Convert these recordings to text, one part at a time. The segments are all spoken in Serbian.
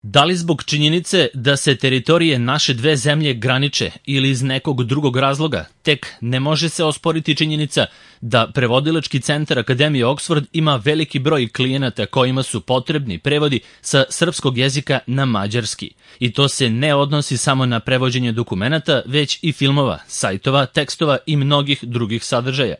Da li zbog činjenice da se teritorije naše dve zemlje graniče ili iz nekog drugog razloga, tek ne može se osporiti činjenica da prevodilački centar Akademije Oxford ima veliki broj klijenata kojima su potrebni prevodi sa srpskog jezika na mađarski. I to se ne odnosi samo na prevođenje dokumenata, već i filmova, sajtova, tekstova i mnogih drugih sadržaja.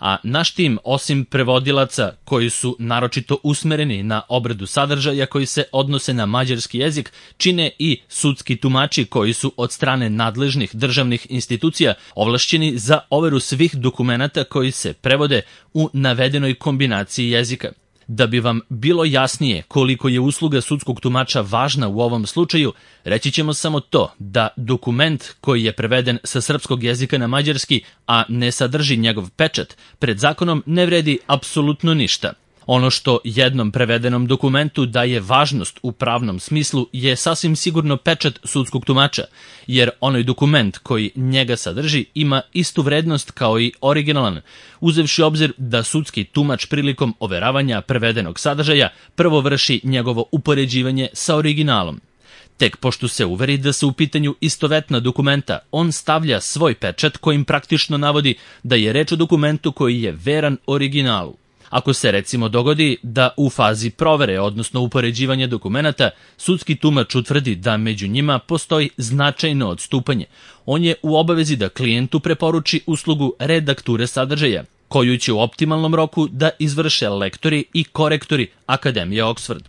A naš tim, osim prevodilaca koji su naročito usmereni na obradu sadržaja koji se odnose na mađarski jezik, čine i sudski tumači koji su od strane nadležnih državnih institucija ovlašćeni za overu svih dokumenata koji se prevode u navedenoj kombinaciji jezika. Da bi vam bilo jasnije koliko je usluga sudskog tumača važna u ovom slučaju, reći ćemo samo to da dokument koji je preveden sa srpskog jezika na mađarski, a ne sadrži njegov pečat, pred zakonom ne vredi apsolutno ništa. Ono što jednom prevedenom dokumentu daje važnost u pravnom smislu je sasvim sigurno pečat sudskog tumača, jer onaj dokument koji njega sadrži ima istu vrednost kao i originalan, uzevši obzir da sudski tumač prilikom overavanja prevedenog sadržaja prvo vrši njegovo upoređivanje sa originalom. Tek pošto se uveri da su u pitanju istovetna dokumenta, on stavlja svoj pečat kojim praktično navodi da je reč o dokumentu koji je veran originalu. Ako se recimo dogodi da u fazi provere, odnosno upoređivanja dokumenata, sudski tumač utvrdi da među njima postoji značajno odstupanje, on je u obavezi da klijentu preporuči uslugu redakture sadržaja, koju će u optimalnom roku da izvrše lektori i korektori Akademije Oxford.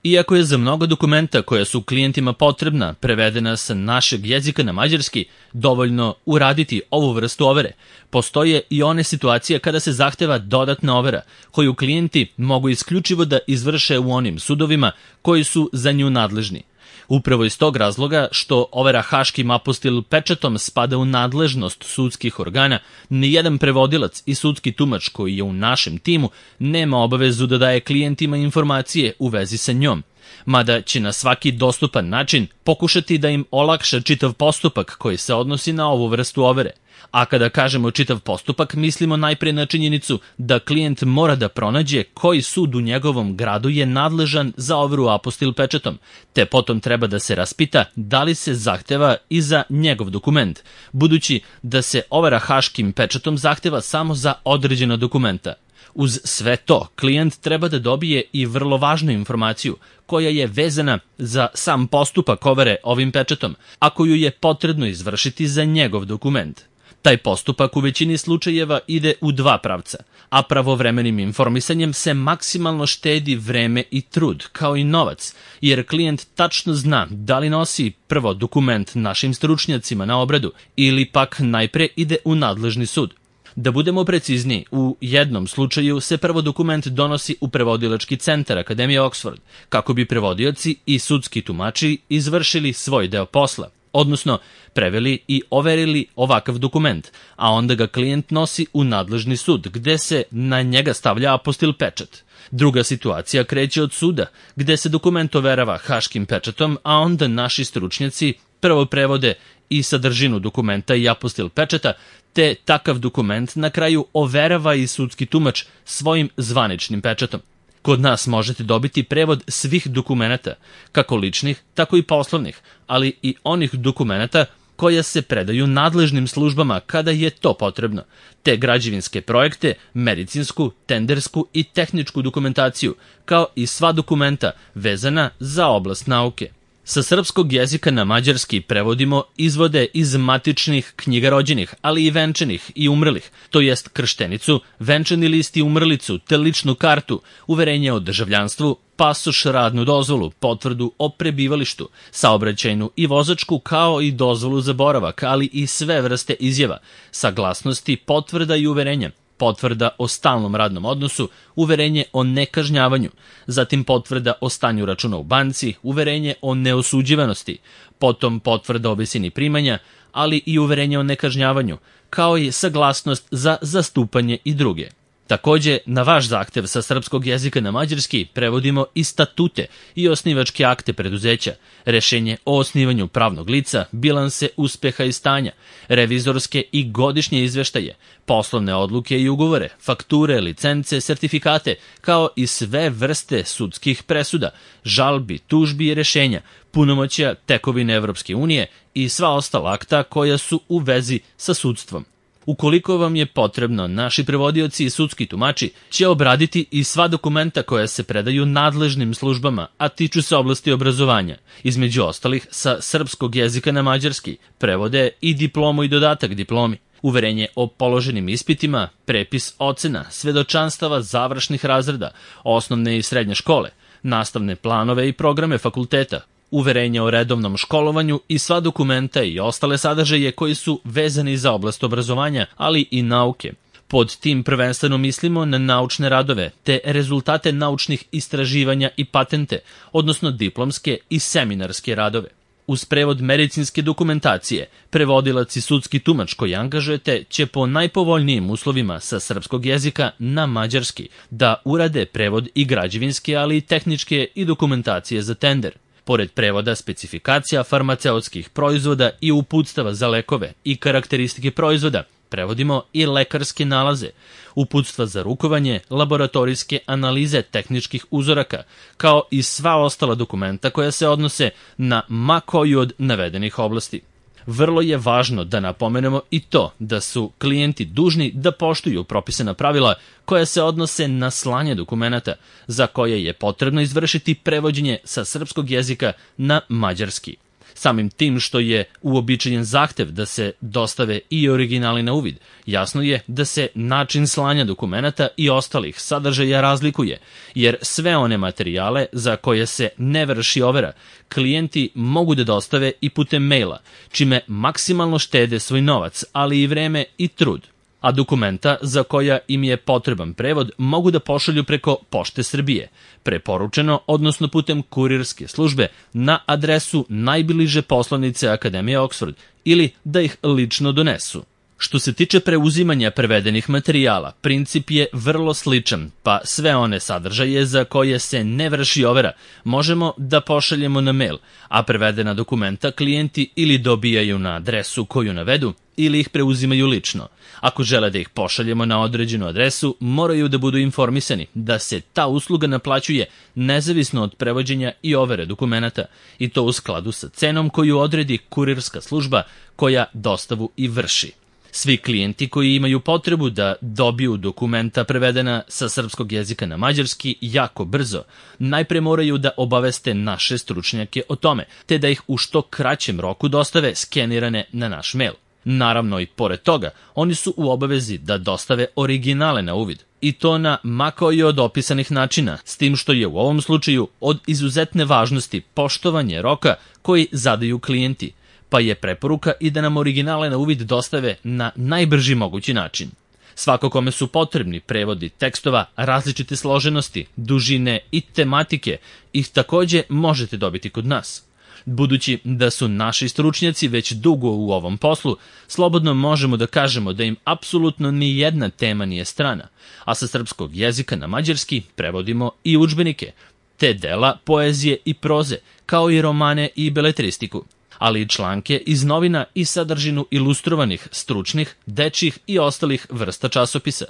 Iako je za mnogo dokumenta koja su klijentima potrebna prevedena sa našeg jezika na mađarski dovoljno uraditi ovu vrstu overe, postoje i one situacije kada se zahteva dodatna overa, koju klijenti mogu isključivo da izvrše u onim sudovima koji su za nju nadležni. Upravo iz tog razloga što overa haškim apostil pečatom spada u nadležnost sudskih organa, nijedan prevodilac i sudski tumač koji je u našem timu nema obavezu da daje klijentima informacije u vezi sa njom, mada će na svaki dostupan način pokušati da im olakša čitav postupak koji se odnosi na ovu vrstu overe. A kada kažemo čitav postupak, mislimo najpre na činjenicu da klijent mora da pronađe koji sud u njegovom gradu je nadležan za overu apostil pečatom, te potom treba da se raspita da li se zahteva i za njegov dokument, budući da se overa haškim pečatom zahteva samo za određena dokumenta. Uz sve to, klijent treba da dobije i vrlo važnu informaciju koja je vezana za sam postupak overe ovim pečatom, a koju je potrebno izvršiti za njegov dokument. Taj postupak u većini slučajeva ide u dva pravca, a pravovremenim informisanjem se maksimalno štedi vreme i trud, kao i novac, jer klijent tačno zna da li nosi prvo dokument našim stručnjacima na obradu ili pak najpre ide u nadležni sud. Da budemo precizniji, u jednom slučaju se prvo dokument donosi u prevodilački centar Akademije Oxford, kako bi prevodioci i sudski tumači izvršili svoj deo posla, odnosno preveli i overili ovakav dokument, a onda ga klijent nosi u nadležni sud, gde se na njega stavlja apostil pečat. Druga situacija kreće od suda, gde se dokument overava haškim pečatom, a onda naši stručnjaci prvo prevode i sadržinu dokumenta i apostil pečata, te takav dokument na kraju overava i sudski tumač svojim zvaničnim pečatom. Kod nas možete dobiti prevod svih dokumenata, kako ličnih, tako i poslovnih, ali i onih dokumenata koja se predaju nadležnim službama kada je to potrebno, te građevinske projekte, medicinsku, tendersku i tehničku dokumentaciju, kao i sva dokumenta vezana za oblast nauke. Sa srpskog jezika na mađarski prevodimo izvode iz matičnih knjiga rođenih, ali i venčanih i umrlih, to jest krštenicu, venčani list i umrlicu, te ličnu kartu, uverenje o državljanstvu, pasoš, radnu dozvolu, potvrdu o prebivalištu, saobraćajnu i vozačku, kao i dozvolu za boravak, ali i sve vrste izjava, saglasnosti, potvrda i uverenja, potvrda o stalnom radnom odnosu, uverenje o nekažnjavanju, zatim potvrda o stanju računa u banci, uverenje o neosuđivanosti, potom potvrda o visini primanja, ali i uverenje o nekažnjavanju, kao i saglasnost za zastupanje i druge. Takođe, na vaš zahtev sa srpskog jezika na mađarski prevodimo i statute i osnivačke akte preduzeća, rešenje o osnivanju pravnog lica, bilanse uspeha i stanja, revizorske i godišnje izveštaje, poslovne odluke i ugovore, fakture, licence, sertifikate, kao i sve vrste sudskih presuda, žalbi, tužbi i rešenja, punomoćja, tekovine Evropske unije i sva ostala akta koja su u vezi sa sudstvom. Ukoliko vam je potrebno, naši prevodioci i sudski tumači će obraditi i sva dokumenta koja se predaju nadležnim službama, a tiču se oblasti obrazovanja. Između ostalih, sa srpskog jezika na mađarski prevode i diplomu i dodatak diplomi, uverenje o položenim ispitima, prepis ocena, svedočanstava završnih razreda, osnovne i srednje škole, nastavne planove i programe fakulteta, uverenje o redovnom školovanju i sva dokumenta i ostale sadržaje koji su vezani za oblast obrazovanja, ali i nauke. Pod tim prvenstveno mislimo na naučne radove, te rezultate naučnih istraživanja i patente, odnosno diplomske i seminarske radove. Uz prevod medicinske dokumentacije, prevodilac i sudski tumač koji angažujete će po najpovoljnijim uslovima sa srpskog jezika na mađarski da urade prevod i građevinske, ali i tehničke i dokumentacije za tender. Pored prevoda specifikacija farmaceutskih proizvoda i uputstava za lekove i karakteristike proizvoda, prevodimo i lekarske nalaze, uputstva za rukovanje, laboratorijske analize tehničkih uzoraka, kao i sva ostala dokumenta koja se odnose na ma koju od navedenih oblasti. Vrlo je važno da napomenemo i to da su klijenti dužni da poštuju propisana pravila koja se odnose na slanje dokumenata, za koje je potrebno izvršiti prevođenje sa srpskog jezika na mađarski. Samim tim što je uobičajen zahtev da se dostave i originali na uvid, jasno je da se način slanja dokumenata i ostalih sadržaja razlikuje, jer sve one materijale za koje se ne vrši overa, klijenti mogu da dostave i putem maila, čime maksimalno štede svoj novac, ali i vreme i trud. A dokumenta za koja im je potreban prevod mogu da pošalju preko Pošte Srbije, preporučeno, odnosno putem kurirske službe na adresu najbliže poslanice Akademije Oksford ili da ih lično donesu. Što se tiče preuzimanja prevedenih materijala, princip je vrlo sličan, pa sve one sadržaje za koje se ne vrši overa možemo da pošaljemo na mail, a prevedena dokumenta klijenti ili dobijaju na adresu koju navedu ili ih preuzimaju lično. Ako žele da ih pošaljemo na određenu adresu, moraju da budu informisani da se ta usluga naplaćuje nezavisno od prevođenja i overe dokumenata, i to u skladu sa cenom koju odredi kurirska služba koja dostavu i vrši. Svi klijenti koji imaju potrebu da dobiju dokumenta prevedena sa srpskog jezika na mađarski jako brzo, najpre moraju da obaveste naše stručnjake o tome, te da ih u što kraćem roku dostave skenirane na naš mail. Naravno i pored toga, oni su u obavezi da dostave originale na uvid, i to na ma koji od opisanih načina, s tim što je u ovom slučaju od izuzetne važnosti poštovanje roka koji zadaju klijenti, pa je preporuka i da nam originale na uvid dostave na najbrži mogući način. Svako kome su potrebni prevodi tekstova različite složenosti, dužine i tematike, ih takođe možete dobiti kod nas. Budući da su naši stručnjaci već dugo u ovom poslu, slobodno možemo da kažemo da im apsolutno ni jedna tema nije strana, a sa srpskog jezika na mađarski prevodimo i udžbenike, te dela poezije i proze, kao i romane i beletristiku, ali i članke iz novina i sadržinu ilustrovanih, stručnih, dečjih i ostalih vrsta časopisa.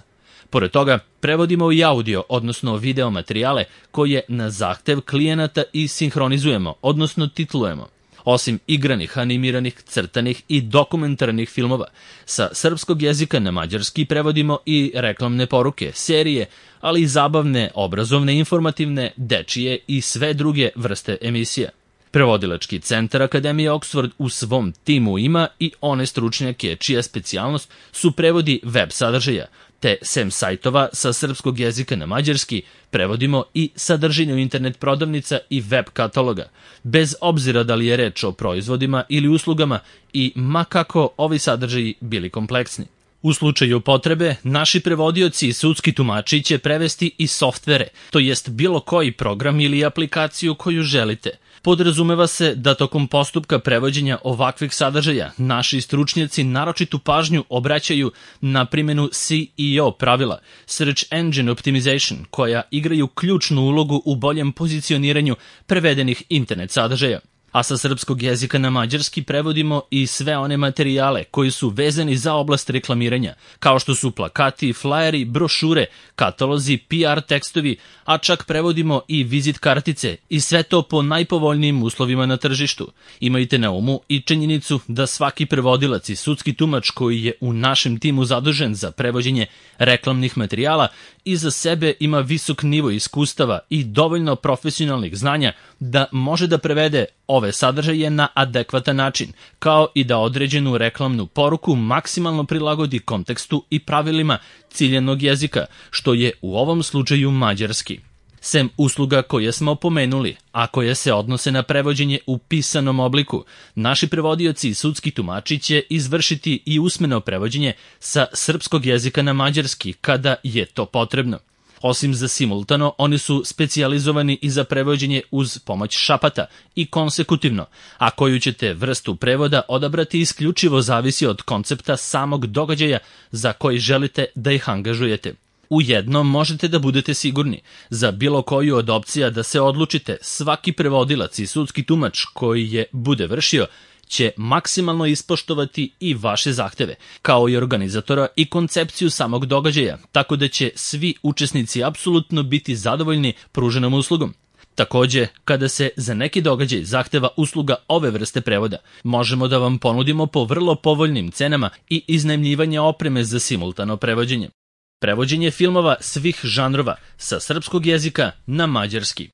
Pored toga, prevodimo i audio, odnosno video materijale koje na zahtev klijenata i sinhronizujemo, odnosno titlujemo. Osim igranih, animiranih, crtanih i dokumentarnih filmova, sa srpskog jezika na mađarski prevodimo i reklamne poruke, serije, ali i zabavne, obrazovne, informativne, dečije i sve druge vrste emisija. Prevodilački centar Akademije Oksford u svom timu ima i one stručnjake čija specijalnost su prevodi web sadržaja, te sem sajtova sa srpskog jezika na mađarski prevodimo i sadržinu internet prodavnica i web kataloga, bez obzira da li je reč o proizvodima ili uslugama i ma kako ovi sadržaji bili kompleksni. U slučaju potrebe, naši prevodioci i sudski tumači će prevesti i softvere, to jest bilo koji program ili aplikaciju koju želite. Podrazumeva se da tokom postupka prevođenja ovakvih sadržaja naši stručnjaci naročitu pažnju obraćaju na primjenu SEO pravila, Search Engine Optimization, koja igraju ključnu ulogu u boljem pozicioniranju prevedenih internet sadržaja. A sa srpskog jezika na mađarski prevodimo i sve one materijale koji su vezani za oblast reklamiranja, kao što su plakati, flajeri, brošure, katalozi, PR tekstovi, a čak prevodimo i vizit kartice i sve to po najpovoljnijim uslovima na tržištu. Imajte na umu i činjenicu da svaki prevodilac i sudski tumač koji je u našem timu zadužen za prevođenje reklamnih materijala iza sebe ima visok nivo iskustava i dovoljno profesionalnih znanja da može da prevede ove sadržaje na adekvatan način, kao i da određenu reklamnu poruku maksimalno prilagodi kontekstu i pravilima ciljanog jezika, što je u ovom slučaju mađarski. Sem usluga koje smo pomenuli, a koje se odnose na prevođenje u pisanom obliku, naši prevodioci i sudski tumači će izvršiti i usmeno prevođenje sa srpskog jezika na mađarski kada je to potrebno. Osim za simultano, oni su specijalizovani i za prevođenje uz pomoć šapata i konsekutivno, a koju ćete vrstu prevoda odabrati isključivo zavisi od koncepta samog događaja za koji želite da ih angažujete. Ujedno možete da budete sigurni, za bilo koju od opcija da se odlučite, svaki prevodilac i sudski tumač koji je bude vršio će maksimalno ispoštovati i vaše zahteve, kao i organizatora i koncepciju samog događaja, tako da će svi učesnici apsolutno biti zadovoljni pruženom uslugom. Takođe, kada se za neki događaj zahteva usluga ove vrste prevoda, možemo da vam ponudimo po vrlo povoljnim cenama i iznajmljivanje opreme za simultano prevođenje. Prevođenje filmova svih žanrova sa srpskog jezika na mađarski.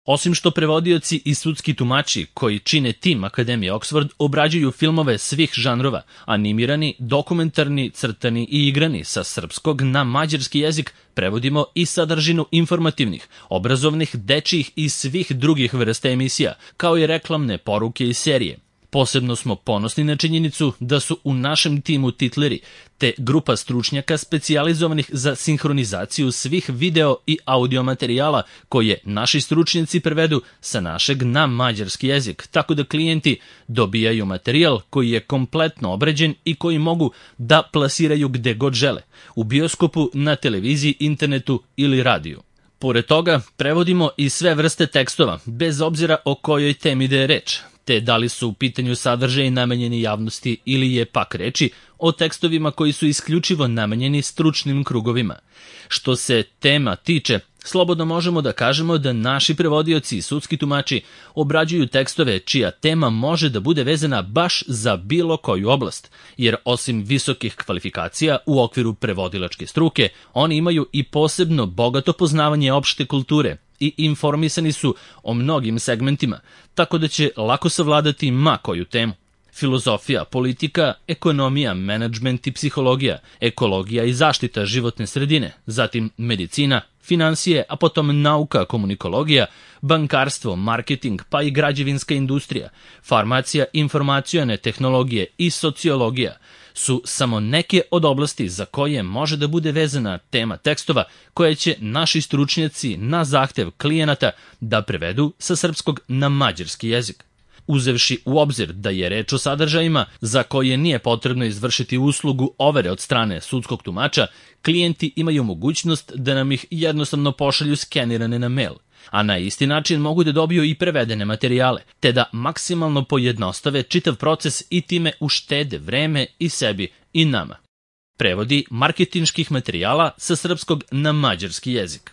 Osim što prevodioci i sudski tumači koji čine tim Akademije Oxford obrađuju filmove svih žanrova, animirani, dokumentarni, crtani i igrani sa srpskog na mađarski jezik, prevodimo i sadržinu informativnih, obrazovnih, dečijih i svih drugih vrsta emisija, kao i reklamne poruke i serije. Posebno smo ponosni na činjenicu da su u našem timu titleri, te grupa stručnjaka specijalizovanih za sinhronizaciju svih video i audio materijala koje naši stručnjaci prevedu sa našeg na mađarski jezik, tako da klijenti dobijaju materijal koji je kompletno obrađen i koji mogu da plasiraju gde god žele, u bioskopu, na televiziji, internetu ili radiju. Pored toga, prevodimo i sve vrste tekstova, bez obzira o kojoj temi da je reč, te da li su u pitanju sadržaji namenjeni javnosti ili je pak reči o tekstovima koji su isključivo namenjeni stručnim krugovima. Što se tema tiče, slobodno možemo da kažemo da naši prevodioci i sudski tumači obrađuju tekstove čija tema može da bude vezana baš za bilo koju oblast, jer osim visokih kvalifikacija u okviru prevodilačke struke, oni imaju i posebno bogato poznavanje opšte kulture i informisani su o mnogim segmentima, tako da će lako savladati ma koju temu. Filozofija, politika, ekonomija, menadžment i psihologija, ekologija i zaštita životne sredine, zatim medicina, finansije, a potom nauka, komunikologija, bankarstvo, marketing, pa i građevinska industrija, farmacija, informacione tehnologije i sociologija su samo neke od oblasti za koje može da bude vezana tema tekstova koje će naši stručnjaci na zahtev klijenata da prevedu sa srpskog na mađarski jezik. Uzevši u obzir da je reč o sadržajima za koje nije potrebno izvršiti uslugu overe od strane sudskog tumača, klijenti imaju mogućnost da nam ih jednostavno pošalju skenirane na mail, a na isti način mogu da dobiju i prevedene materijale, te da maksimalno pojednostave čitav proces i time uštede vreme i sebi i nama. Prevodi marketinških materijala sa srpskog na mađarski jezik.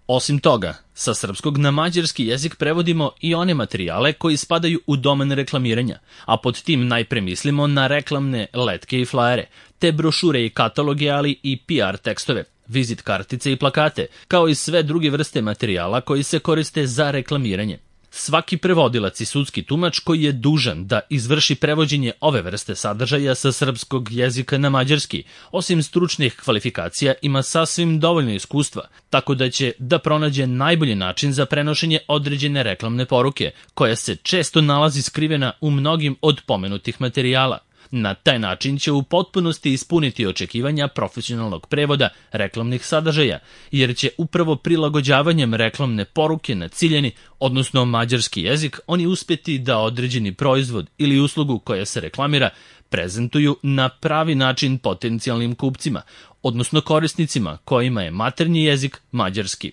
Osim toga, sa srpskog na mađarski jezik prevodimo i one materijale koji spadaju u domen reklamiranja, a pod tim najpre mislimo na reklamne letke i flajere, te brošure i kataloge, ali i PR tekstove, vizit kartice i plakate, kao i sve druge vrste materijala koji se koriste za reklamiranje. Svaki prevodilac i sudski tumač koji je dužan da izvrši prevođenje ove vrste sadržaja sa srpskog jezika na mađarski, osim stručnih kvalifikacija, ima sasvim dovoljno iskustva, tako da će da pronađe najbolji način za prenošenje određene reklamne poruke, koja se često nalazi skrivena u mnogim od pomenutih materijala. Na taj način će u potpunosti ispuniti očekivanja profesionalnog prevoda reklamnih sadržaja, jer će upravo prilagođavanjem reklamne poruke na ciljani, odnosno mađarski jezik, oni uspjeti da određeni proizvod ili uslugu koja se reklamira prezentuju na pravi način potencijalnim kupcima, odnosno korisnicima kojima je maternji jezik mađarski.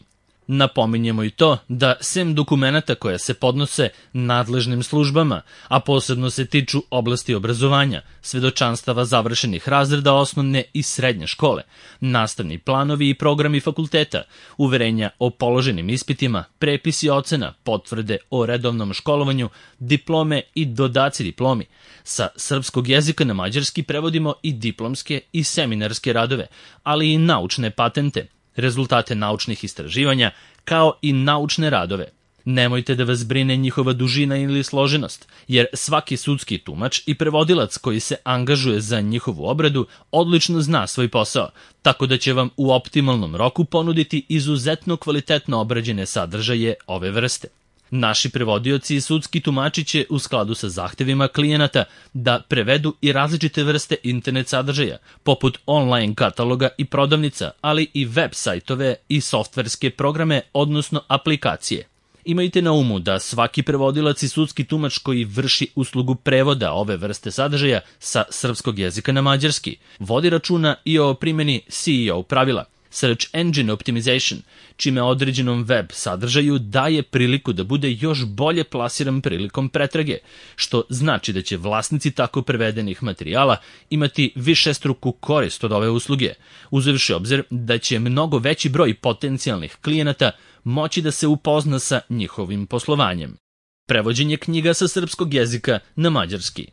Napominjemo i to da sem dokumenata koja se podnose nadležnim službama, a posebno se tiču oblasti obrazovanja, svedočanstava završenih razreda osnovne i srednje škole, nastavni planovi i programi fakulteta, uverenja o položenim ispitima, prepisi ocena, potvrde o redovnom školovanju, diplome i dodaci diplomi. Sa srpskog jezika na mađarski prevodimo i diplomske i seminarske radove, ali i naučne patente, rezultate naučnih istraživanja, kao i naučne radove. Nemojte da vas brine njihova dužina ili složenost, jer svaki sudski tumač i prevodilac koji se angažuje za njihovu obradu odlično zna svoj posao, tako da će vam u optimalnom roku ponuditi izuzetno kvalitetno obrađene sadržaje ove vrste. Naši prevodioci i sudski tumači će u skladu sa zahtevima klijenata da prevedu i različite vrste internet sadržaja, poput online kataloga i prodavnica, ali i web sajtove i softverske programe, odnosno aplikacije. Imajte na umu da svaki prevodilac i sudski tumač koji vrši uslugu prevoda ove vrste sadržaja sa srpskog jezika na mađarski vodi računa i o primjeni SEO pravila, Search Engine Optimization, čime određenom web sadržaju daje priliku da bude još bolje plasiran prilikom pretrage, što znači da će vlasnici tako prevedenih materijala imati višestruku korist od ove usluge, uzevši obzir da će mnogo veći broj potencijalnih klijenata moći da se upozna sa njihovim poslovanjem. Prevođenje knjiga sa srpskog jezika na mađarski.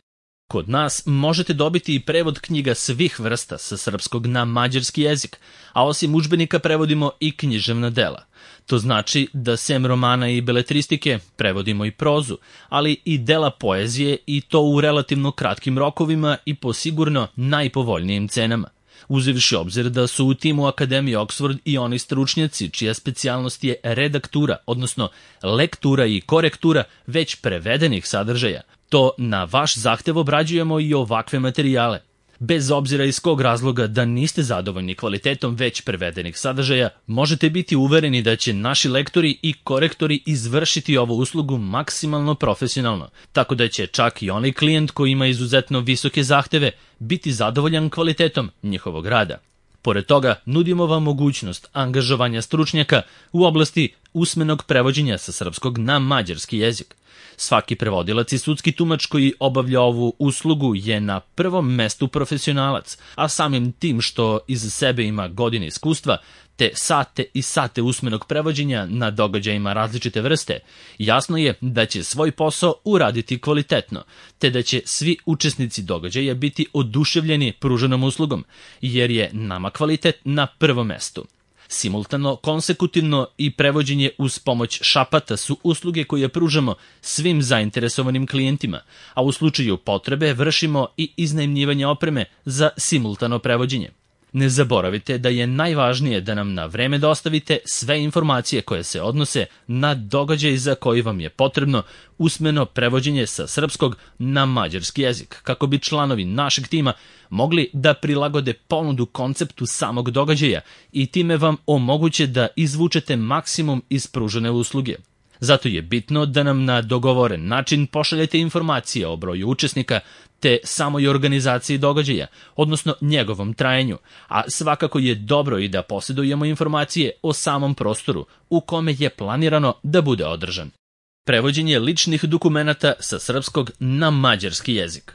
Kod nas možete dobiti i prevod knjiga svih vrsta sa srpskog na mađarski jezik, a osim udžbenika prevodimo i književna dela. To znači da sem romana i beletristike prevodimo i prozu, ali i dela poezije, i to u relativno kratkim rokovima i po sigurno najpovoljnijim cenama. Uzevši obzir da su u timu Akademije Oxford i oni stručnjaci čija specijalnost je redaktura, odnosno lektura i korektura već prevedenih sadržaja, to na vaš zahtev obrađujemo i ovakve materijale. Bez obzira iz kog razloga da niste zadovoljni kvalitetom već prevedenih sadržaja, možete biti uvereni da će naši lektori i korektori izvršiti ovu uslugu maksimalno profesionalno, tako da će čak i onaj klijent koji ima izuzetno visoke zahteve biti zadovoljan kvalitetom njihovog rada. Pored toga, nudimo vam mogućnost angažovanja stručnjaka u oblasti usmenog prevođenja sa srpskog na mađarski jezik. Svaki prevodilac i sudski tumač koji obavlja ovu uslugu je na prvom mestu profesionalac, a samim tim što iza sebe ima godine iskustva, te sate i sate usmenog prevođenja na događajima različite vrste, jasno je da će svoj posao uraditi kvalitetno, te da će svi učesnici događaja biti oduševljeni pruženom uslugom, jer je nama kvalitet na prvom mestu. Simultano, konsekutivno i prevođenje uz pomoć šapata su usluge koje pružamo svim zainteresovanim klijentima, a u slučaju potrebe vršimo i iznajmljivanje opreme za simultano prevođenje. Ne zaboravite da je najvažnije da nam na vreme dostavite sve informacije koje se odnose na događaj za koji vam je potrebno usmeno prevođenje sa srpskog na mađarski jezik, kako bi članovi našeg tima mogli da prilagode ponudu konceptu samog događaja i time vam omoguće da izvučete maksimum iz pružene usluge. Zato je bitno da nam na dogovoren način pošaljete informacije o broju učesnika te samoj organizaciji događaja, odnosno njegovom trajanju, a svakako je dobro i da posjedujemo informacije o samom prostoru u kome je planirano da bude održan. Prevođenje ličnih dokumenata sa srpskog na mađarski jezik.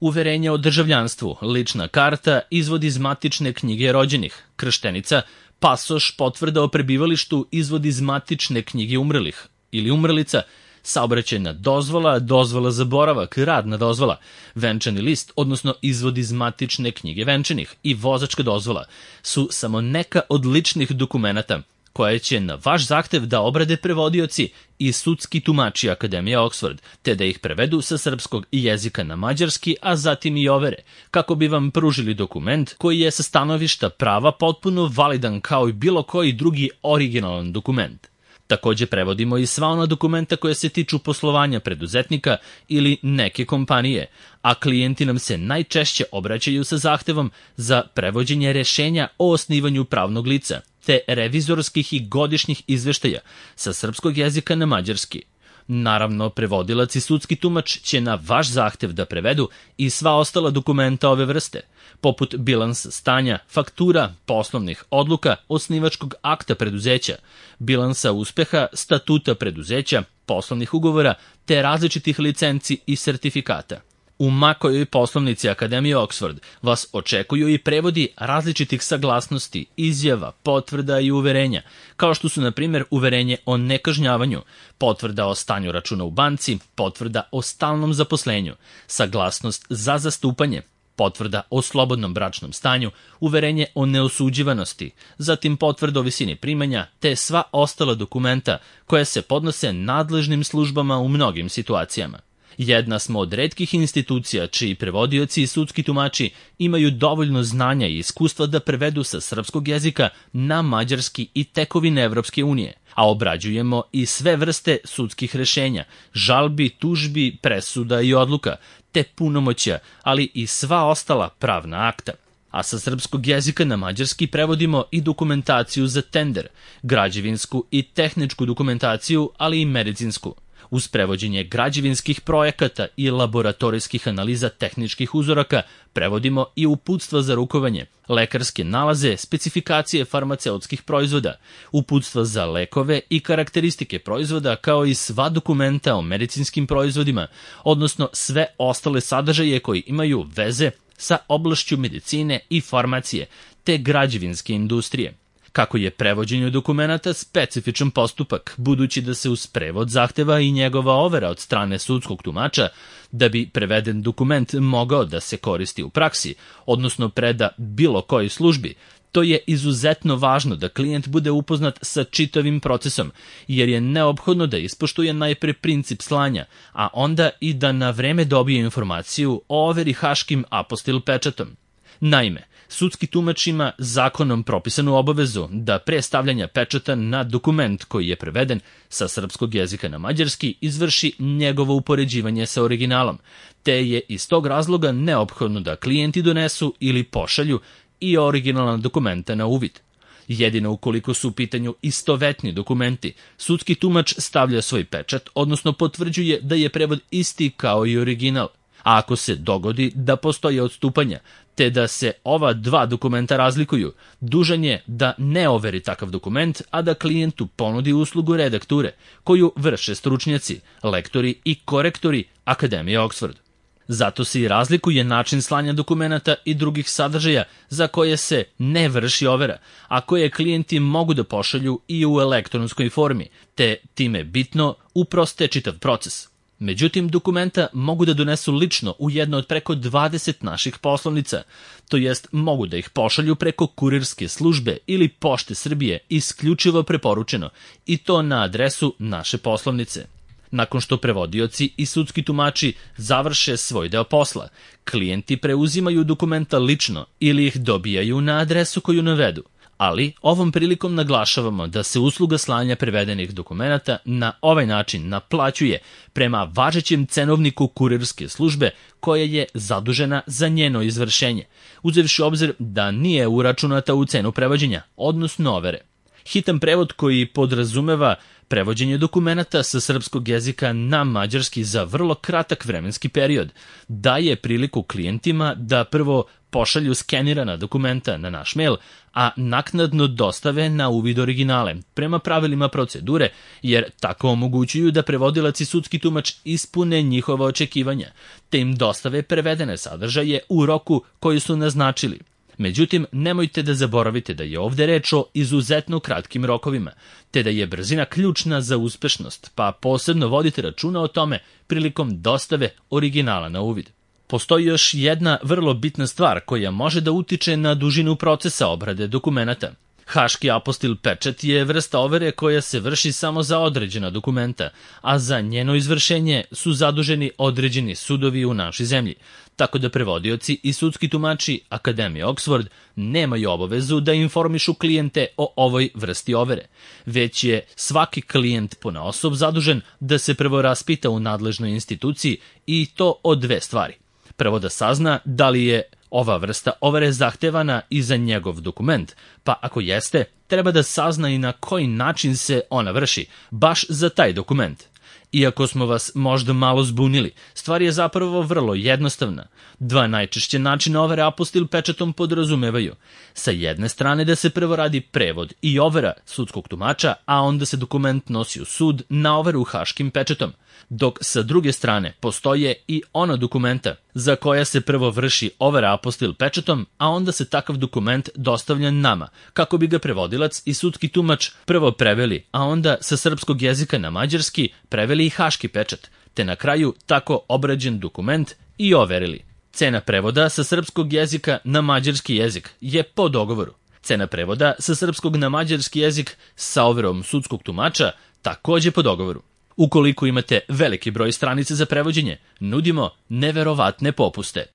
Uverenje o državljanstvu, lična karta, izvod iz matične knjige rođenih, krštenica, pasoš, potvrda o prebivalištu, izvod iz matične knjige umrlih ili umrlica, saobraćajna dozvola, dozvola za boravak, radna dozvola, venčani list, odnosno izvod iz matične knjige venčanih i vozačka dozvola su samo neka od ličnih dokumenata koje će na vaš zahtev da obrade prevodioci i sudski tumači Akademije Oxford, te da ih prevedu sa srpskog jezika na mađarski, a zatim i overe, kako bi vam pružili dokument koji je sa stanovišta prava potpuno validan kao i bilo koji drugi originalan dokument. Takođe prevodimo i sva ona dokumenta koja se tiču poslovanja preduzetnika ili neke kompanije, a klijenti nam se najčešće obraćaju sa zahtevom za prevođenje rešenja o osnivanju pravnog lica, te revizorskih i godišnjih izveštaja sa srpskog jezika na mađarski. Naravno, prevodilac i sudski tumač će na vaš zahtev da prevedu i sva ostala dokumenta ove vrste, poput bilansa stanja, faktura, poslovnih odluka, osnivačkog akta preduzeća, bilansa uspeha, statuta preduzeća, poslovnih ugovora, te različitih licenci i sertifikata. U makojoj poslovnici Akademije Oxford vas očekuju i prevodi različitih saglasnosti, izjava, potvrda i uverenja, kao što su, na primjer, uverenje o nekažnjavanju, potvrda o stanju računa u banci, potvrda o stalnom zaposlenju, saglasnost za zastupanje, potvrda o slobodnom bračnom stanju, uverenje o neosuđivanosti, zatim potvrda o visini primanja, te sva ostala dokumenta koja se podnose nadležnim službama u mnogim situacijama. Jedna smo od retkih institucija čiji prevodioci i sudski tumači imaju dovoljno znanja i iskustva da prevedu sa srpskog jezika na mađarski i tekovine Evropske unije, a obrađujemo i sve vrste sudskih rešenja, žalbi, tužbi, presuda i odluka, te punomoćja, ali i sva ostala pravna akta. A sa srpskog jezika na mađarski prevodimo i dokumentaciju za tender, građevinsku i tehničku dokumentaciju, ali i medicinsku. Uz prevođenje građevinskih projekata i laboratorijskih analiza tehničkih uzoraka prevodimo i uputstva za rukovanje, lekarske nalaze, specifikacije farmaceutskih proizvoda, uputstva za lekove i karakteristike proizvoda, kao i sva dokumenta o medicinskim proizvodima, odnosno sve ostale sadržaje koji imaju veze sa oblašću medicine i farmacije, te građevinske industrije. Kako je prevođenje dokumenata specifičan postupak, budući da se uz prevod zahteva i njegova overa od strane sudskog tumača, da bi preveden dokument mogao da se koristi u praksi, odnosno preda bilo kojoj službi, to je izuzetno važno da klijent bude upoznat sa čitavim procesom, jer je neophodno da ispoštuje najpre princip slanja, a onda i da na vreme dobije informaciju o overi haškim apostil pečatom. Naime, sudski tumač ima zakonom propisanu obavezu da pre stavljanja pečata na dokument koji je preveden sa srpskog jezika na mađarski izvrši njegovo upoređivanje sa originalom, te je iz tog razloga neophodno da klijenti donesu ili pošalju i originalna dokumenta na uvid. Jedino ukoliko su u pitanju istovetni dokumenti, sudski tumač stavlja svoj pečat, odnosno potvrđuje da je prevod isti kao i original. A ako se dogodi da postoje odstupanja, te da se ova dva dokumenta razlikuju, dužan je da ne overi takav dokument, a da klijentu ponudi uslugu redakture, koju vrše stručnjaci, lektori i korektori Akademije Oxford. Zato se i razlikuje način slanja dokumenata i drugih sadržaja za koje se ne vrši overa, a koje klijenti mogu da pošalju i u elektronskoj formi, te time bitno uproste čitav proces. Međutim, dokumenta mogu da donesu lično u jedno od preko 20 naših poslovnica, to jest mogu da ih pošalju preko kurirske službe ili Pošte Srbije, isključivo preporučeno, i to na adresu naše poslovnice. Nakon što prevodioci i sudski tumači završe svoj deo posla, klijenti preuzimaju dokumenta lično ili ih dobijaju na adresu koju navedu. Ali ovom prilikom naglašavamo da se usluga slanja prevedenih dokumenata na ovaj način naplaćuje prema važećem cenovniku kurirske službe koja je zadužena za njeno izvršenje, uzevši obzir da nije uračunata u cenu prevođenja, odnosno overe. Hitan prevod koji podrazumeva prevođenje dokumenata sa srpskog jezika na mađarski za vrlo kratak vremenski period daje priliku klijentima da prvo pošalju skenirana dokumenta na naš mail, a naknadno dostave na uvid originale, prema pravilima procedure, jer tako omogućuju da prevodilac i sudski tumač ispune njihova očekivanja, te im dostave prevedene sadržaje u roku koji su naznačili. Međutim, nemojte da zaboravite da je ovde reč o izuzetno kratkim rokovima, te da je brzina ključna za uspešnost, pa posebno vodite računa o tome prilikom dostave originala na uvid. Postoji još jedna vrlo bitna stvar koja može da utiče na dužinu procesa obrade dokumenata. Haški apostil pečat je vrsta overe koja se vrši samo za određena dokumenta, a za njeno izvršenje su zaduženi određeni sudovi u našoj zemlji, tako da prevodioci i sudski tumači Akademije Oxford nemaju obavezu da informišu klijente o ovoj vrsti overe, već je svaki klijent ponaosob zadužen da se prvo raspita u nadležnoj instituciji i to o dve stvari. Prvo da sazna da li je ova vrsta overe zahtevana i za njegov dokument, pa ako jeste, treba da sazna i na koji način se ona vrši, baš za taj dokument. Iako smo vas možda malo zbunili, stvar je zapravo vrlo jednostavna. Dva najčešće načina overe apostil pečatom podrazumevaju. Sa jedne strane da se prvo radi prevod i overa sudskog tumača, a onda se dokument nosi u sud na overu haškim pečatom, dok sa druge strane postoje i ona dokumenta za koja se prvo vrši overa apostil pečatom, a onda se takav dokument dostavlja nama, kako bi ga prevodilac i sudski tumač prvo preveli, a onda sa srpskog jezika na mađarski preveli i haški pečat, te na kraju tako obrađen dokument i overili. Cena prevoda sa srpskog jezika na mađarski jezik je po dogovoru. Cena prevoda sa srpskog na mađarski jezik sa overom sudskog tumača takođe po dogovoru. Ukoliko imate veliki broj stranica za prevođenje, nudimo neverovatne popuste.